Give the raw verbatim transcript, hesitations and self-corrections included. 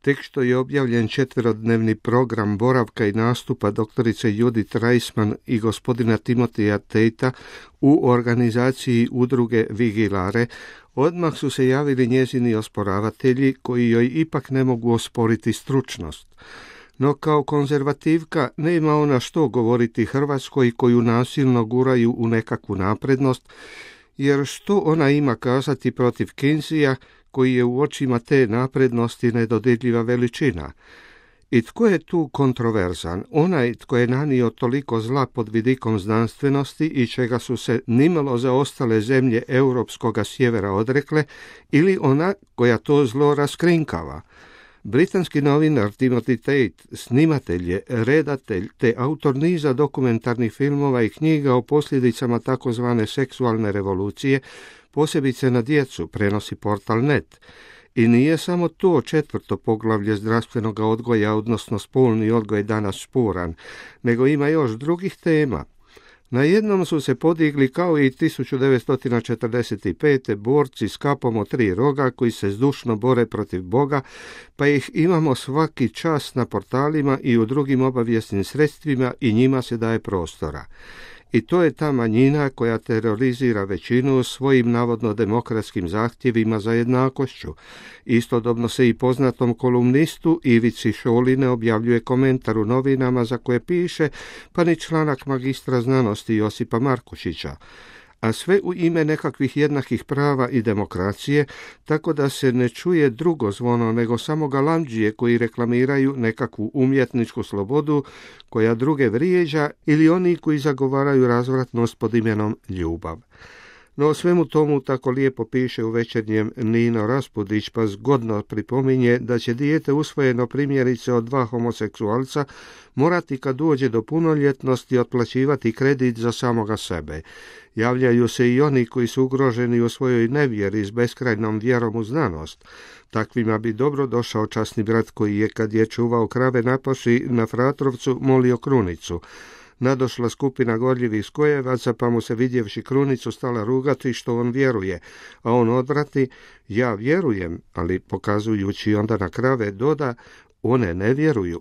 tek što je objavljen četverodnevni program boravka i nastupa doktorice Judith Reisman i gospodina Timotija Tate u organizaciji udruge Vigilare, odmah su se javili njezini osporavatelji koji joj ipak ne mogu osporiti stručnost. No kao konzervativka nema ona što govoriti Hrvatskoj koju nasilno guraju u nekakvu naprednost, jer što ona ima kazati protiv Kinseya koji je u očima te naprednosti nedodirljiva veličina. I tko je tu kontroverzan? Onaj tko je nanio toliko zla pod vidikom znanstvenosti i čega su se nimalo zaostale zemlje europskoga sjevera odrekle, ili ona koja to zlo raskrinkava? Britanski novinar Timothy Tate, snimatelj je, redatelj te autor niza dokumentarnih filmova i knjiga o posljedicama takozvane seksualne revolucije, posebice na djecu, prenosi portal net. I nije samo to četvrto poglavlje zdravstvenog odgoja, odnosno spolni odgoj danas sporan, nego ima još drugih tema. Na jednom su se podigli kao i tisuću devetsto četrdeset pete borci s kapom od tri roga koji se zdušno bore protiv Boga, pa ih imamo svaki čas na portalima i u drugim obavijesnim sredstvima i njima se daje prostora. I to je ta manjina koja terorizira većinu svojim navodno demokratskim zahtjevima za jednakošću. Istodobno se i poznatom kolumnistu Ivici Šoli ne objavljuje komentar u novinama za koje piše, pa ni članak magistra znanosti Josipa Markušića. A sve u ime nekakvih jednakih prava i demokracije, tako da se ne čuje drugo zvono nego samo galamdžije koji reklamiraju nekakvu umjetničku slobodu koja druge vrijeđa ili oni koji zagovaraju razvratnost pod imenom ljubav. No o svemu tomu tako lijepo piše u Večernjem Nino Raspudić, pa zgodno pripominje da će dijete usvojeno primjerice od dva homoseksualca morati kad dođe do punoljetnosti otplaćivati kredit za samoga sebe. Javljaju se i oni koji su ugroženi u svojoj nevjeri s beskrajnom vjerom u znanost. Takvima bi dobro došao časni brat koji je, kad je čuvao krave na paši na Fratrovcu, molio krunicu. Nadošla skupina gorljivih skojevaca, pa mu se vidjevši krunicu stala rugati što on vjeruje, a on odvrati, ja vjerujem, ali pokazujući onda na krave doda, one ne vjeruju.